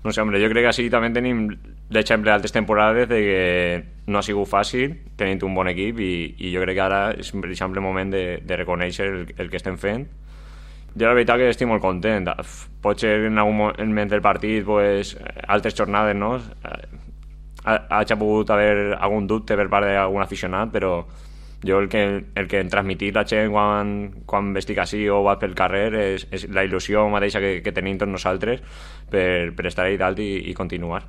No sé, hombre, jo crec que així també tenim l'exemple d'altres temporades de que no ha sigut fàcil tenint un bon equip i jo crec que ara és precisament el moment de reconèixer el que estem fent. Jo la veritat que estic molt content. Potser en algun moment del partit, pues, altres jornades, no? Hagi pogut haver algun dubte per part d'algun aficionat, però jo el que em transmetir la gent quan estic així o vaig pel carrer és la il·lusió mateixa que tenim tots nosaltres per estar ahí dalt i continuar.